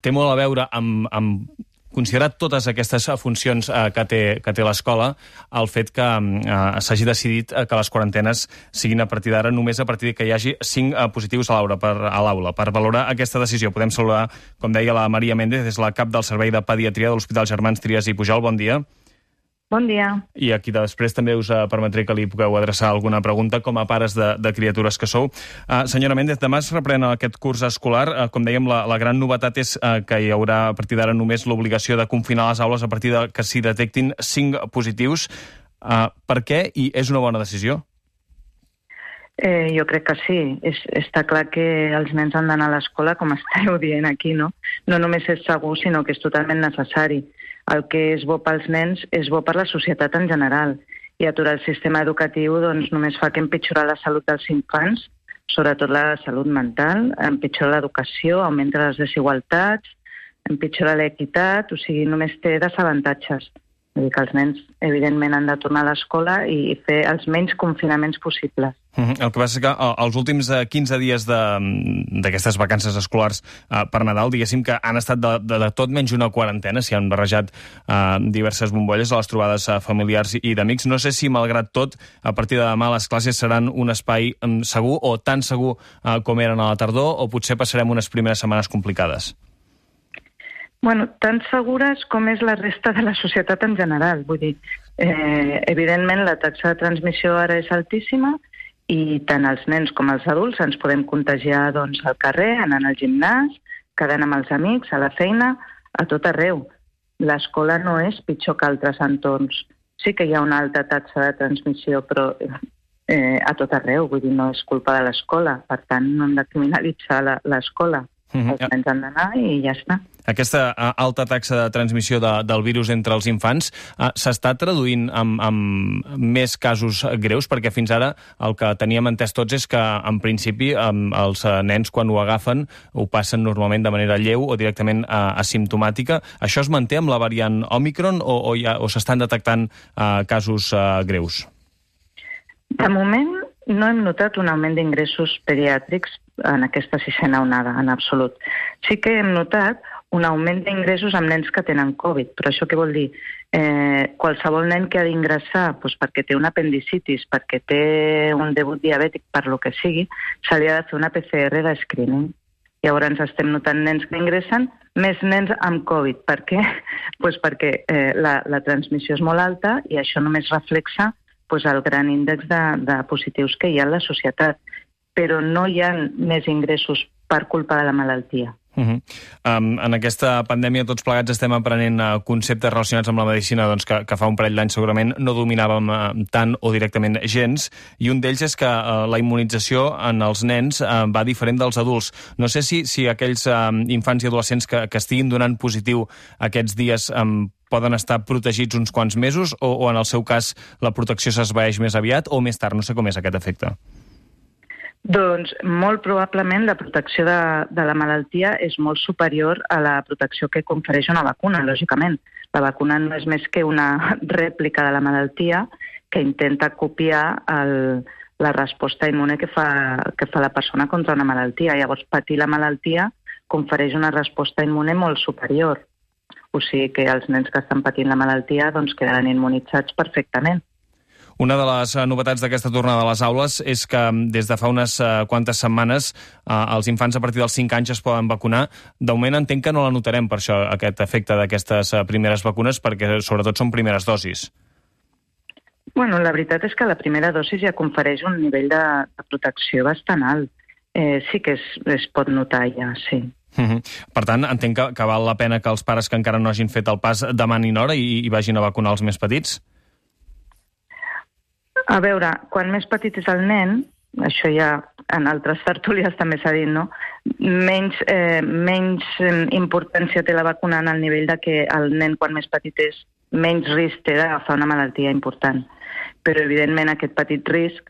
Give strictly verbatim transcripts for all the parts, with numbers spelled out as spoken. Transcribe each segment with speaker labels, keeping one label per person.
Speaker 1: té molt a veure amb, amb considerat totes aquestes funcions eh, que té, que té l'escola, el fet que eh, s'hagi decidit que les quarantenes siguin a partir d'ara només a partir que hi hagi cinc eh, positius a l'aula. Per, a l'aula. Per valorar aquesta decisió podem saludar, com deia, la Maria Méndez, és la cap del Servei de Pediatria de l'Hospital Germans Trias i Pujol. Bon dia.
Speaker 2: Bon dia.
Speaker 1: I aquí després també us permetré que li pugueu adreçar alguna pregunta com a pares de, de criatures que sou. Uh, senyora Méndez, demà es reprèn aquest curs escolar. Uh, com dèiem, la, la gran novetat és uh, que hi haurà a partir d'ara només l'obligació de confinar les aules a partir de que s'hi detectin cinc positius. Uh, per què? I és una bona decisió?
Speaker 2: Eh, jo crec que sí. És, està clar que els nens han d'anar a l'escola, com estàveu dient aquí, no? No només és segur, sinó que és totalment necessari. El que és bo pels nens és bo per la societat en general. I aturar el sistema educatiu doncs, només fa que empitjorar la salut dels infants, sobretot la salut mental, empitjora l'educació, augmenta les desigualtats, empitjora l'equitat, o sigui, només té desavantatges. Vull dir que els nens, evidentment, han de tornar a l'escola i fer els menys confinaments possibles.
Speaker 1: Mm-hmm. El que passa és que els últims quinze dies d'aquestes vacances escolars eh, per Nadal, diguéssim que han estat de, de, de tot menys una quarantena, s'hi han barrejat eh, diverses bombolles a les trobades eh, familiars i d'amics. No sé si, malgrat tot, a partir de demà les classes seran un espai eh, segur o tan segur eh, com eren a la tardor, o potser passarem unes primeres setmanes complicades?
Speaker 2: Bueno, tan segures com és la resta de la societat en general. Vull dir, eh, evidentment la taxa de transmissió ara és altíssima i tant els nens com els adults ens podem contagiar doncs, al carrer, anant al gimnàs, quedant amb els amics, a la feina, a tot arreu. L'escola no és pitjor que altres entorns. Sí que hi ha una alta taxa de transmissió, però eh, a tot arreu. Vull dir, no és culpa de l'escola. Per tant, no hem de criminalitzar l'escola. Els nens han d'anar i ja està.
Speaker 1: Aquesta alta taxa de transmissió de, del virus entre els infants uh, s'està traduint amb, amb més casos greus? Perquè fins ara el que teníem entès tots és que, en principi, um, els uh, nens, quan ho agafen, ho passen normalment de manera lleu o directament uh, asimptomàtica. Això es manté amb la variant Òmicron o, o, ja, o s'estan detectant uh, casos uh, greus?
Speaker 2: De moment no hem notat un augment d'ingressos pediàtrics en aquesta sisena onada, en absolut. Sí que hem notat un augment d'ingressos amb nens que tenen Covid, però això què vol dir? Eh, qualsevol nen que ha d'ingressar doncs perquè té una apendicitis, perquè té un debut diabètic, per lo que sigui, se li ha de fer una P C R de screening. Llavors estem notant nens que ingressen, més nens amb Covid. Per què? Pues perquè eh, la, la transmissió és molt alta i això només reflexa pues, el gran índex de, de positius que hi ha en la societat. Però no hi ha més ingressos per culpa de la malaltia.
Speaker 1: Uh-huh. Um, en aquesta pandèmia tots plegats estem aprenent uh, conceptes relacionats amb la medicina doncs, que, que fa un parell d'anys segurament no dominàvem uh, tant o directament gens, i un d'ells és que uh, la immunització en els nens uh, va diferent dels adults. No sé si, si aquells uh, infants i adolescents que, que estiguin donant positiu aquests dies um, poden estar protegits uns quants mesos o, o en el seu cas la protecció s'esvaeix més aviat o més tard, no sé com és aquest efecte.
Speaker 2: Doncs molt probablement la protecció de, de la malaltia és molt superior a la protecció que confereix una vacuna, lògicament. La vacuna no és més que una rèplica de la malaltia que intenta copiar el, la resposta immune que fa, que fa la persona contra una malaltia. Llavors, patir la malaltia confereix una resposta immune molt superior. O sigui que els nens que estan patint la malaltia doncs, quedaran immunitzats perfectament.
Speaker 1: Una de les novetats d'aquesta tornada a les aules és que des de fa unes quantes setmanes els infants a partir dels cinc anys es poden vacunar. De moment entenc que no la notarem per això, aquest efecte d'aquestes primeres vacunes, perquè sobretot són primeres dosis.
Speaker 2: Bueno, la veritat és que la primera dosi ja confereix un nivell de, de protecció bastant alt. Eh, sí que es, es pot notar ja, sí.
Speaker 1: Uh-huh. Per tant, entenc que, que val la pena que els pares que encara no hagin fet el pas demanin hora i, i vagin a vacunar els més petits?
Speaker 2: A veure, quan més petit és el nen, això ja en altres tertúlies també s'ha dit, no? Menys, eh, menys importància té la vacuna en el nivell de que el nen, quan més petit és, menys risc té d'agafar una malaltia important. Però, evidentment, aquest petit risc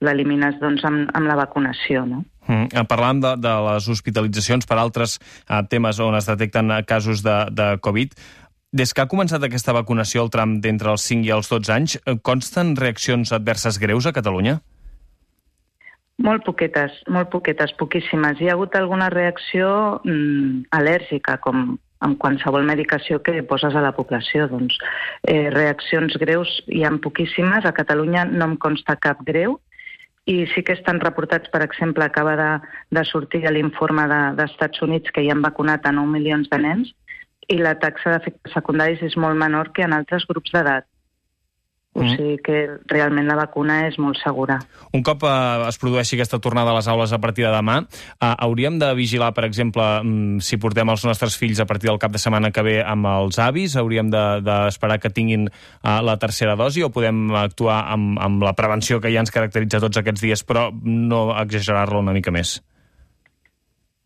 Speaker 2: l'elimines doncs, amb, amb la vacunació, no?
Speaker 1: Mm. Parlàvem de, de les hospitalitzacions per altres uh, temes on es detecten casos de, de Covid. Des que ha començat aquesta vacunació al tram d'entre els cinc i els dotze anys, consten reaccions adverses greus a Catalunya?
Speaker 2: Molt poquetes, molt poquetes, poquíssimes. Hi ha hagut alguna reacció mm, al·lèrgica, com amb qualsevol medicació que poses a la població. Doncs, eh, reaccions greus hi ha poquíssimes. A Catalunya no em consta cap greu, i sí que estan reportats, per exemple, acaba de, de sortir l'informe de, d'Estats Units que hi han vacunat a nou milions de nens, i la taxa d'efectes secundaris és molt menor que en altres grups d'edat. O sigui que realment la vacuna és molt segura.
Speaker 1: Un cop eh, es produeixi aquesta tornada a les aules a partir de demà, eh, hauríem de vigilar, per exemple, mm, si portem els nostres fills a partir del cap de setmana que ve amb els avis, hauríem d'esperar de, que tinguin eh, la tercera dosi, o podem actuar amb, amb la prevenció que ja ens caracteritza tots aquests dies, però no exagerar-la una mica més?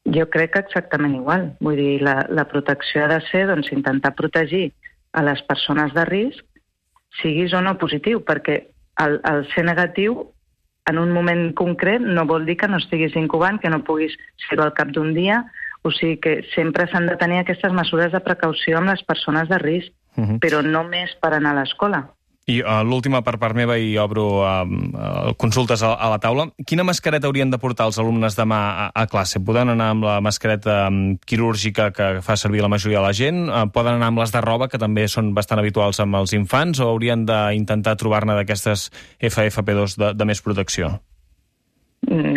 Speaker 2: Jo crec que exactament igual. Vull dir, la, la protecció ha de ser, doncs, intentar protegir a les persones de risc, siguis o no positiu, perquè el, el ser negatiu en un moment concret no vol dir que no estiguis incubant, que no puguis ser-ho al cap d'un dia. O sigui que sempre s'han de tenir aquestes mesures de precaució amb les persones de risc, uh-huh. però no més per anar a l'escola.
Speaker 1: I uh, l'última per part meva, i obro uh, uh, consultes a, a la taula. Quina mascareta haurien de portar els alumnes demà a, a classe? Poden anar amb la mascareta um, quirúrgica que fa servir la majoria de la gent? Uh, poden anar amb les de roba, que també són bastant habituals amb els infants? O haurien d'intentar trobar-ne d'aquestes F F P dos de, de més protecció?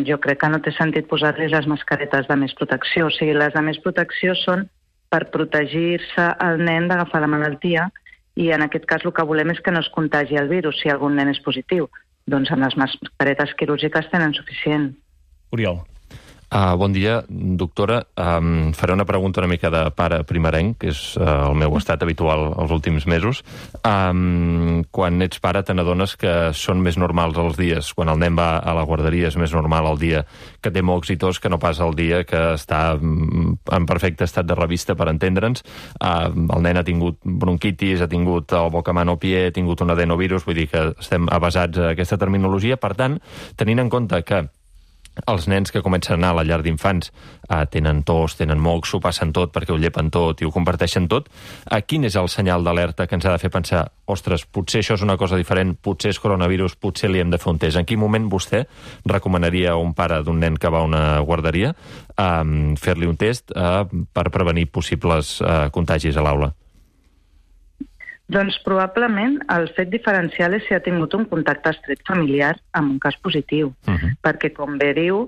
Speaker 2: Jo crec que no té sentit posar-los les mascaretes de més protecció. O sigui, les de més protecció són per protegir-se el nen d'agafar la malaltia, i en aquest cas el que volem és que no es contagi el virus si algun nen és positiu. Doncs amb les mascaretes quirúrgiques tenen suficient.
Speaker 3: Oriol. Uh, bon dia, doctora. Um, faré una pregunta una mica de pare primerenc, que és uh, el meu estat habitual els últims mesos. Um, quan ets pare te n'adones que són més normals els dies. Quan el nen va a la guarderia és més normal el dia que té mocs i tos que no pas el dia que està en perfecte estat de revista, per entendre'ns. Uh, el nen ha tingut bronquitis, ha tingut el bocamano pie, ha tingut un adenovirus, vull dir que estem avasats a aquesta terminologia. Per tant, tenint en compte que els nens que comencen a anar a la llar d'infants eh, tenen tos, tenen mocs, s'ho passen tot perquè ho llepen tot i ho comparteixen tot, eh, quin és el senyal d'alerta que ens ha de fer pensar, ostres, potser això és una cosa diferent, potser és coronavirus, potser li hem de fer un test? En quin moment vostè recomanaria a un pare d'un nen que va a una guarderia eh, fer-li un test eh, per prevenir possibles eh, contagis a l'aula?
Speaker 2: Doncs probablement el fet diferencial és si ha tingut un contacte estret familiar amb un cas positiu, uh-huh. perquè com bé diu,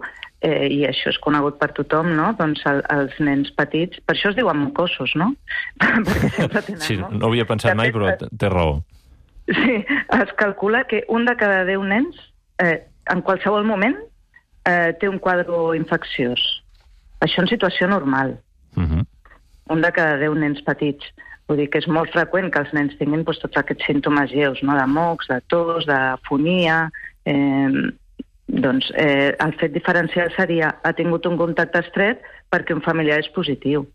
Speaker 2: eh, i això és conegut per tothom, no? Doncs el, els nens petits, per això es diuen mocosos, no? Perquè sempre tenen,
Speaker 3: sí,
Speaker 2: no?
Speaker 3: No ho havia pensat mai, però té raó.
Speaker 2: Sí, es calcula que un de cada deu nens, eh, en qualsevol moment, eh, té un quadre infecciós. Això en situació normal. Uh-huh. Un de cada deu nens petits. Vull dir que és molt freqüent que els nens tinguin doncs, tots aquests símptomes lleus, no? De mocs, de tos, d'afonia. Eh, doncs eh, el fet diferencial seria ha tingut un contacte estret perquè un familiar és positiu.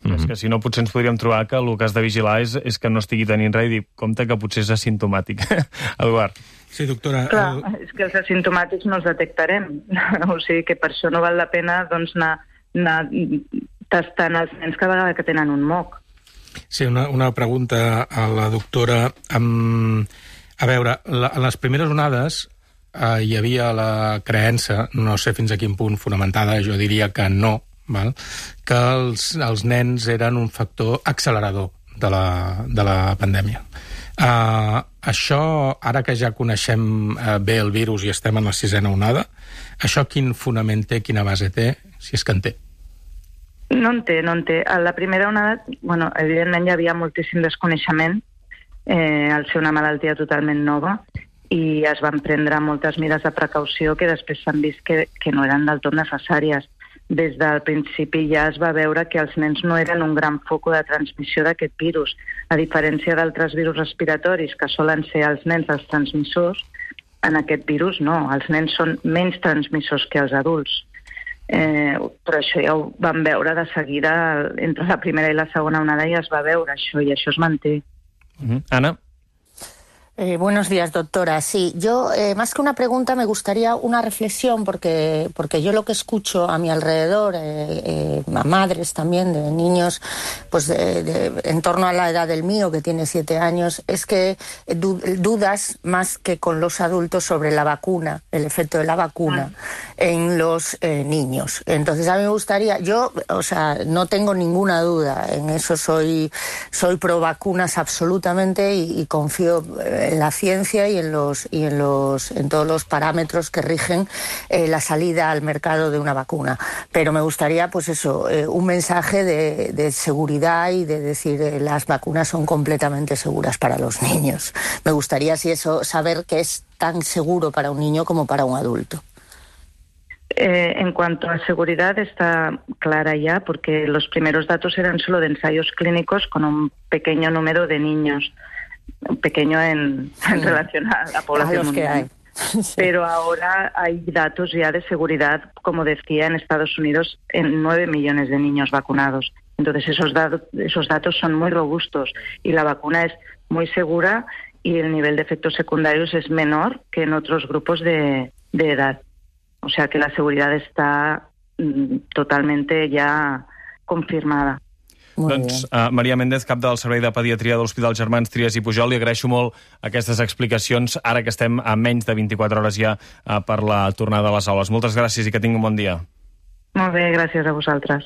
Speaker 1: Mm-hmm. És que si no potser ens podríem trobar que el que has de vigilar és, és que no estigui tenint res i dir, compte que potser és asimptomàtic. Eduard.
Speaker 4: Sí, doctora.
Speaker 2: Clar,
Speaker 4: el...
Speaker 2: és que els asimptomàtics no els detectarem. O sigui que per això no val la pena doncs, anar, anar tastant els nens cada vegada que tenen un moc.
Speaker 4: Sí, una, una pregunta a la doctora. Um, a veure, la, en les primeres onades uh, hi havia la creença, no sé fins a quin punt fonamentada, jo diria que no, val? Que els, els nens eren un factor accelerador de la, de la pandèmia. Uh, això, ara que ja coneixem uh, bé el virus i estem en la sisena onada, això quin fonament té, quina base té, si és que en té?
Speaker 2: No en té, no en té. A la primera onada, bueno, evidentment hi havia moltíssim desconeixement, eh, al ser una malaltia totalment nova, i es van prendre moltes mesures de precaució que després s'han vist que, que no eren del tot necessàries. Des del principi ja es va veure que els nens no eren un gran foc de transmissió d'aquest virus. A diferència d'altres virus respiratoris, que solen ser els nens els transmissors, en aquest virus no, els nens són menys transmissors que els adults. Eh, però això ja ho vam veure de seguida entre la primera i la segona onada, i es va veure això, i això es manté.
Speaker 1: Uh-huh. Anna?
Speaker 5: Eh, buenos días, doctora. Sí, yo, eh, más que una pregunta, me gustaría una reflexión, porque, porque yo lo que escucho a mi alrededor, eh, eh, a madres también de niños, pues de, de, en torno a la edad del mío, que tiene siete años, es que du dudas más que con los adultos sobre la vacuna, el efecto de la vacuna en los eh, niños. Entonces, a mí me gustaría, yo, o sea, no tengo ninguna duda, en eso soy, soy pro vacunas absolutamente y, y confío eh, en la ciencia y en los y en los en todos los parámetros que rigen eh, la salida al mercado de una vacuna. Pero me gustaría, pues eso, eh, un mensaje de, de seguridad y de decir eh, las vacunas son completamente seguras para los niños. Me gustaría, si eso, saber que es tan seguro para un niño como para un adulto.
Speaker 2: Eh, en cuanto a seguridad está clara ya, porque los primeros datos eran solo de ensayos clínicos con un pequeño número de niños. Pequeño en, en relación a la población
Speaker 5: a los
Speaker 2: mundial.
Speaker 5: Que hay. Sí.
Speaker 2: Pero ahora hay datos ya de seguridad, como decía, en Estados Unidos, en nueve millones de niños vacunados. Entonces esos, datos, esos datos son muy robustos y la vacuna es muy segura y el nivel de efectos secundarios es menor que en otros grupos de, de edad. O sea que la seguridad está mm, totalmente ya confirmada.
Speaker 5: Molt
Speaker 1: Doncs uh, Maria Méndez, cap del Servei de Pediatria de l'Hospital Germans Trias i Pujol, li agraeixo molt aquestes explicacions, ara que estem a menys de vint-i-quatre hores ja uh, per la tornada a les aules. Moltes gràcies i que tingui un bon dia.
Speaker 2: Molt bé, gràcies a vosaltres.